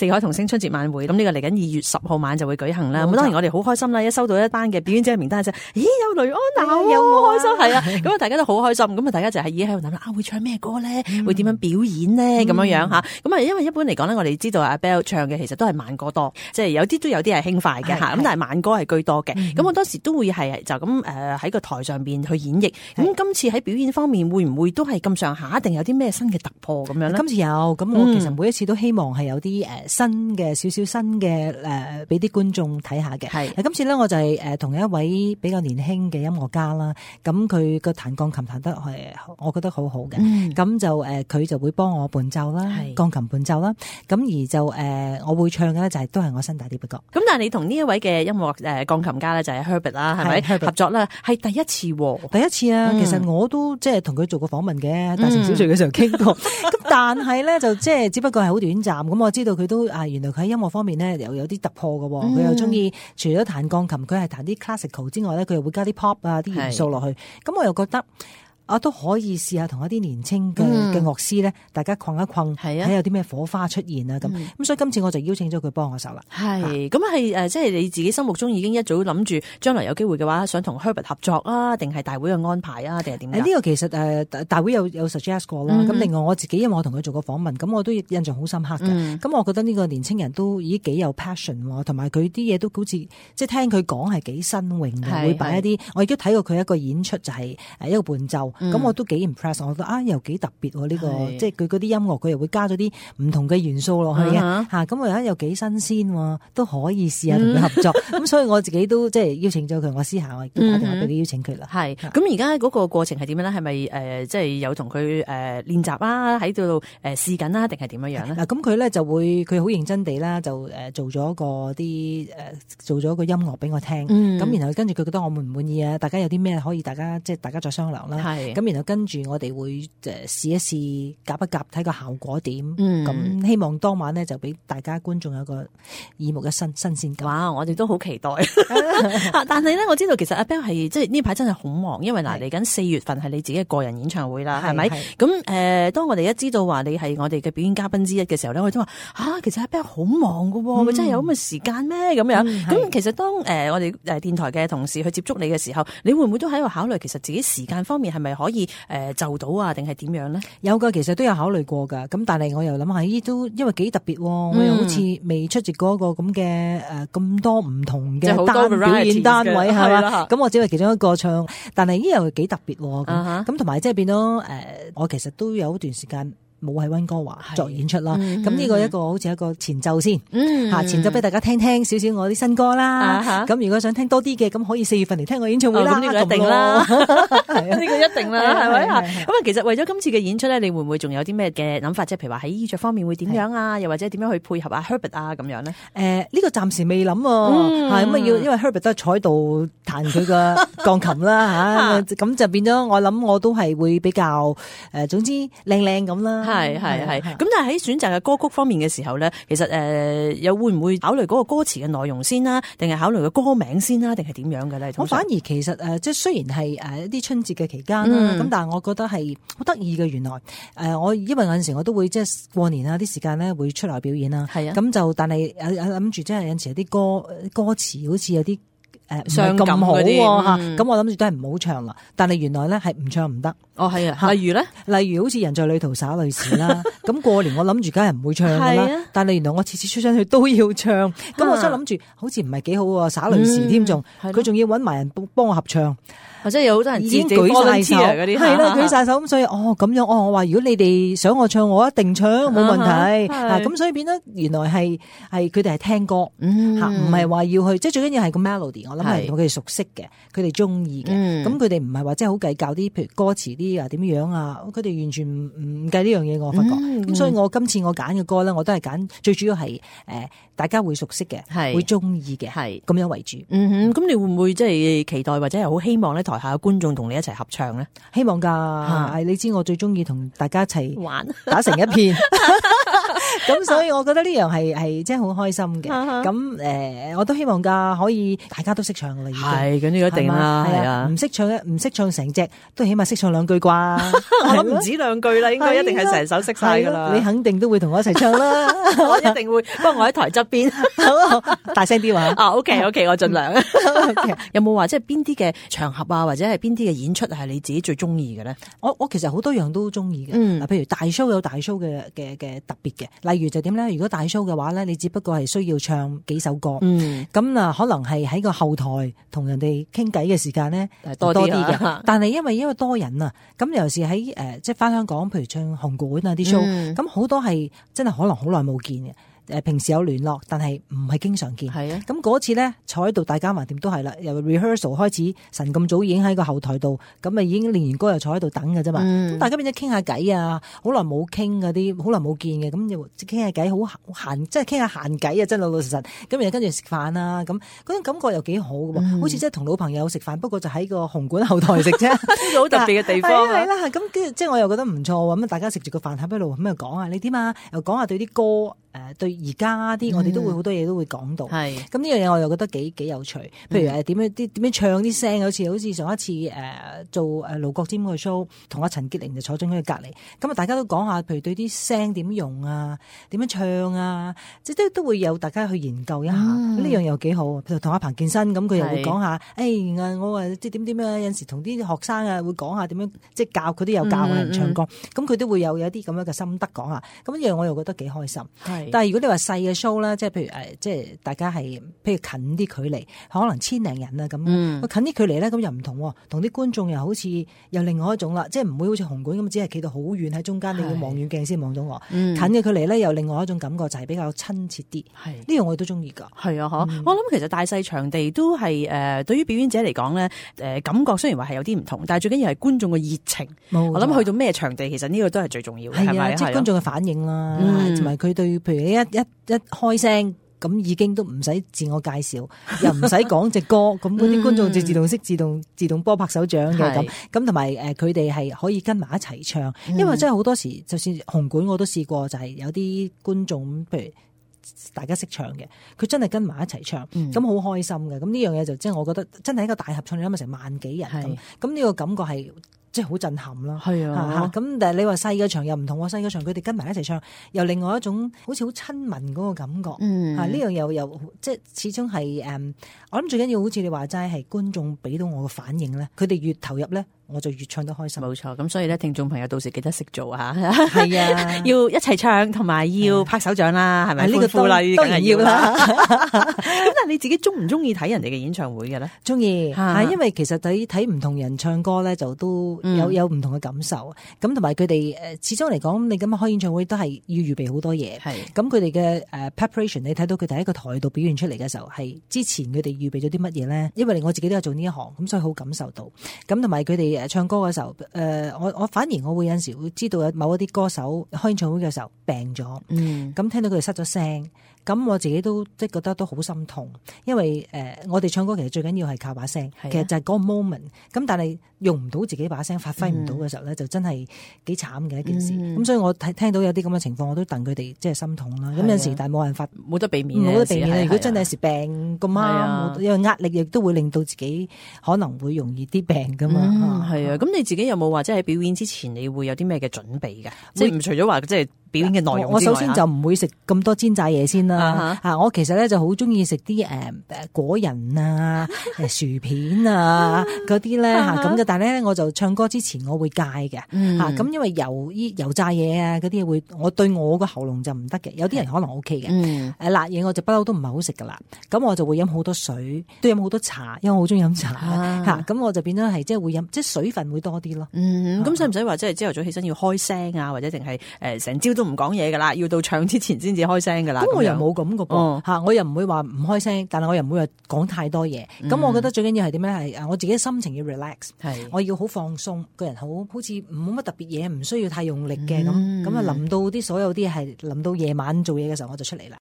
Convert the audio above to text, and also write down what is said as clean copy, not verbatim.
四海童聲春節晚會，咁呢個嚟緊2月10號晚就會舉行啦。咁當然我哋好開心啦，一收到一班嘅表演者名單就，咦有雷安娜，又好開心係啊！咁啊大家都好開心，咁啊大家就係已經喺度諗啦，會唱咩歌咧？會點樣表演咧？咁樣樣吓，咁啊因為一般嚟講咧，我哋知道阿 Belle 唱嘅其實都係慢歌多，即係有啲都有啲係輕快嘅吓，咁但係慢歌係居多嘅。咁我當時都會係就咁喺個台上邊去演繹。咁今次喺表演方面會唔會都係咁上下？定有啲咩新嘅突破咁樣咧？今次有，咁我其實每一次都希望係有啲新嘅少少新嘅俾啲觀眾睇下嘅。係今次咧，我就係同一位比較年輕嘅音樂家啦。咁佢個彈鋼琴彈得係，我覺得好好嘅。咁就佢就會幫我伴奏啦，鋼琴伴奏啦。咁而就我會唱嘅咧就係都係我新大啲嘅歌。咁但係你同呢一位嘅音樂鋼琴家咧就係 Herbert 啦，係咪合作啦？係第一次喎，第一次啊！其實我都即係同佢做過訪問嘅，大城小聚嘅時候傾過。咁但係咧就即係只不過係好短暫。咁我知道佢都原來佢喺音樂方面咧又有啲突破嘅。佢又中意除咗彈鋼琴，佢係彈啲 classical 之外咧，佢又會加啲 pop 啊啲元素落去。咁我又覺得都可以試下同一啲年青嘅樂師咧，大家困一困，睇有啲咩火花出現啊咁。咁所以今次我就邀請咗佢幫我手啦。係咁係即係你自己心目中已經一早諗住將來有機會嘅話，想同 Herbert 合作啊，定係大會嘅安排啊，定係點樣？呢個其實大會有 suggest 過啦。咁另外我自己因為我同佢做過訪問，咁我都印象好深刻嘅。咁我覺得呢個年青人都已經幾有 passion，同埋佢啲嘢都好似即係聽佢講係幾新穎嘅，會擺一啲。我亦都睇過佢一個演出就係一個伴奏。咁我都幾 impress， 我覺得又幾特別喎呢個，即係佢嗰啲音樂佢又會加咗啲唔同嘅元素落去嘅嚇，咁我覺得又幾新鮮喎，都可以試下同佢合作。咁所以我自己都即係邀請咗佢，我私下我亦都打電話俾你邀請佢啦。係，咁而家嗰個過程係點樣咧？係咪即係有同佢練習啊？喺度試緊啊？定係點樣樣咧？嗱，咁佢咧就會佢好認真地啦，就做咗個音樂俾我聽。咁然後跟住佢覺得我滿唔滿意啊？大家有啲咩可以大家再商量啦。咁然後跟住我哋會試一試夾一夾睇個效果點，咁希望當晚咧就俾大家觀眾有個耳目一新鮮感。哇！我哋都好期待。但係咧，我知道其實阿 Belle 係即係呢排真係好忙，因為嚟緊4月份係你自己嘅個人演唱會啦，係咪？咁當我哋一知道話你係我哋嘅表演嘉賓之一嘅時候咧，我哋都話其實阿 Belle 好忙噶，佢真係有咁嘅時間咩？咁樣咁其實當我哋電台嘅同事去接觸你嘅時候，你會唔會都喺度考慮其實自己時間方面係咪可以就到啊？定係點樣咧？有噶，其實都有考慮過噶。咁但係我又諗下，都因為幾特別，我又好似未出席過一個咁嘅咁多唔同嘅表演單位係嘛。咁我只係其中一個唱，但係又幾特別咁同埋即係變咗我其實都有一段時間冇喺溫哥華作演出啦。咁呢個一個好似一個前奏先前奏俾大家聽少少我啲新歌啦。咁如果想聽多啲嘅，咁可以4月份嚟聽我演唱會啦。呢個一定啦，呢個一定啦，係咪？咁啊，其實為咗今次嘅演出咧，你會唔會仲有啲咩嘅諗法？即係譬如話喺衣着方面會點樣啊？又或者點樣去配合阿 Herbert 啊咁樣咧？呢個暫時未諗喎。咁啊因為 Herbert 都係坐喺度彈佢嘅鋼琴啦嚇，咁就變咗我諗我都係會比較總之靚靚咁啦。係。咁但係喺選擇嘅歌曲方面嘅時候咧，其實又會唔會考慮嗰個歌詞嘅內容先啦，定係考慮個歌名先啦，定係點樣嘅咧？我反而其實即係雖然係一啲春節嘅期間啦，咁但係我覺得係好得意嘅。原來我因為有陣時我都會即係過年啊啲時間咧會出嚟表演啦，咁就但係諗住即係有陣時有啲歌詞好似有啲傷感好喎，咁我諗住都係唔好唱啦。但係原來咧係唔唱唔得。係啊，例如咧，例如好似人在旅途灑淚時啦。咁過年我諗住梗係唔會唱噶啦，但係原來我次次出親去都要唱。咁我想諗住好似唔係幾好喎，灑淚時添仲，佢仲要搵埋人幫我合唱。或者有好多人已經舉晒手嗰啲，係啦，舉晒手咁，所以咁樣我話如果你哋想我唱，我一定唱冇問題。咁所以變咗原來係佢哋係聽歌唔係話要去，即係最緊要係個 melody。我諗係佢哋熟悉嘅，佢哋中意嘅。咁佢哋唔係話即係好計較啲，譬如歌詞啲啊點樣啊，佢哋完全唔計呢樣嘢。我發覺咁，所以我今次我揀嘅歌咧，我都係揀最主要係大家會熟悉嘅，會中意嘅，係咁樣為主。咁你會唔會即係期待或者係好希望咧？台下嘅觀眾同你一齊合唱咧，希望㗎。你知我最中意同大家一齊玩，打成一片。咁咁所以我覺得呢樣係真係好開心嘅。咁我都希望㗎，可以大家都識唱㗎啦。係，咁呢個一定啦，係啊。唔識唱成隻，都起碼識唱兩句啩。我諗唔止兩句啦，應該一定係成首識晒㗎啦。你肯定都會同我一齊唱啦。我一定會，不過我喺台側邊，好大聲啲話。OK，我盡量。有冇話即係邊啲嘅場合啊，或者係邊啲嘅演出係你自己最中意嘅咧？我其實好多樣都中意嘅。嗱，譬如大 show 有大 show 嘅特別嘅，例如就點咧？如果大 show 嘅話咧，你只不過係需要唱幾首歌，咁可能係喺個後台同人哋傾偈嘅時間咧多啲嘅。但係因為多人啊，咁尤其是喺即係翻香港，譬如唱紅館啊啲 show，咁好多係真係可能好耐冇見嘅。平時有聯絡，但係唔係經常見。係啊，咁嗰次咧坐喺度，大家橫掂都係啦。由 rehearsal 開始，晨咁早已經喺個後台度，咁啊已經練完歌又坐喺度等㗎啫嘛。咁大家變咗傾下偈啊，好耐冇傾嗰啲，好耐冇見嘅，咁又傾下偈，好閒，即係傾下閒偈啊，真老老實實。咁又跟住食飯啊，咁嗰種感覺又幾好嘅喎，好似即係同老朋友食飯，不過就喺個紅館後台食啫，呢個好特別嘅地方。係啦，咁跟住即係我又覺得唔錯喎。咁大家食住個飯盒一路咁又講下你點啊，又講下對啲歌。對而家啲我哋都會好多嘢都會講到，咁呢樣嘢我又覺得幾有趣。譬如點樣唱啲聲，好似上一次做盧國沾個 show，同阿陳潔玲就坐咗喺佢隔離，咁啊大家都講下，譬如對啲聲點用啊，點樣唱啊，即係都會有大家去研究一下。呢樣又幾好。譬如同阿彭健新咁，佢又會講下，我話即係點啊，有陣時同啲學生啊會講下點樣，即係教佢都有教人唱歌，咁佢都會有啲咁樣嘅心得講下。咁呢樣我又覺得幾開心。但係如果你話細嘅 show 啦，即係譬如即係大家係譬如近啲距離，可能千零人啊咁。近啲距離咧，咁又唔同，同啲觀眾又好似又另外一種啦，即係唔會好似紅館咁，只係企到好遠喺中間，你要望遠鏡先望到我。近嘅距離咧，又另外一種感覺，就係比較親切啲。呢樣我都中意㗎。係啊，我諗其實大細場地都係對於表演者嚟講咧，感覺雖然話係有啲唔同，但係最緊要係觀眾嘅熱情。我諗去到咩場地，其實呢個都係最重要嘅，係咪？即係觀眾嘅反應啦，同埋佢對譬如一開聲咁已經都唔使自我介紹，又唔使講隻歌，咁嗰啲觀眾就自動識自動波拍手掌嘅咁同埋佢哋係可以跟埋一齊唱，因為真係好多時，就算紅館我都試過，就係有啲觀眾譬如大家識唱嘅，佢真係跟埋一齊唱，咁好開心嘅。咁呢樣嘢就即係我覺得真係一個大合唱，你諗下成萬幾人咁呢個感覺係。即係好震撼咯，係啊，咁但係你話細嘅場又唔同喎，細嘅場佢哋跟埋一齊唱，又另外一種好似好親民嗰個感覺，呢樣又即係始終係我諗最緊要好似你話齋係觀眾俾到我嘅反應咧，佢哋越投入咧，我就越唱得開心。冇錯，咁所以咧，聽眾朋友到時記得識做嚇，係啊，要一齊唱同埋要拍手掌啦，係咪？呢個當然要啦。咁但係你自己中唔中意睇人哋嘅演唱會嘅咧？中意，因為其實睇唔同人唱歌咧，就都有唔同嘅感受。咁同埋佢哋始終嚟講，你咁樣開演唱會都係要預備好多嘢。係咁佢哋嘅preparation，你睇到佢哋喺個台度表現出嚟嘅時候，係之前佢哋預備咗啲乜嘢咧？因為我自己都有做呢一行，咁所以好感受到。咁同埋佢哋唱歌嘅時候，我反而我會有陣時會知道有某一啲歌手開演唱會嘅時候病咗，咁聽到佢哋失咗聲，咁我自己都即係覺得都好心痛，因為我哋唱歌其實最緊要係靠把聲，其實就係嗰個 moment，咁但係用唔到自己把聲，發揮唔到嘅時候咧，就真係幾慘嘅一件事。咁所以我聽到有啲咁嘅情況，我都戥佢哋即係心痛啦。咁有陣時，但係冇辦法，冇得避免，冇得避免。如果真係有時病咁啱，因為壓力亦都會令到自己可能會容易啲病噶嘛。係啊，咁你自己有冇話即係喺表演之前，你會有啲咩嘅準備㗎？即係唔除咗話即係表演嘅內容之外，我首先就唔會食咁多煎炸嘢先啦。我其實咧就好中意食啲果仁啊、薯片啊嗰啲咧咁嘅。但係咧我就唱歌之前我會戒嘅咁因為油炸嘢啊嗰啲會我對我個喉嚨就唔得嘅。有啲人可能 OK 嘅辣嘢我就不嬲都唔係好食噶啦。咁我就會飲好多水，都飲好多茶，因為我好中意飲茶咁我就變咗係即係會飲即係水分會多啲咯。咁使唔使話即係朝頭早起身要開聲啊，或者定係成朝都唔講嘢噶啦，要到唱之前先至開聲噶啦？咁我又冇咁個噃我又唔會話唔開聲，但係我又唔會話講太多嘢。咁我覺得最緊要係點咧？係我自己心情要 relax，我要好放鬆，個人好似冇乜特別嘢，唔需要太用力嘅咁。咁啊，臨到啲所有啲係臨到夜晚做嘢嘅時候，我就出嚟啦。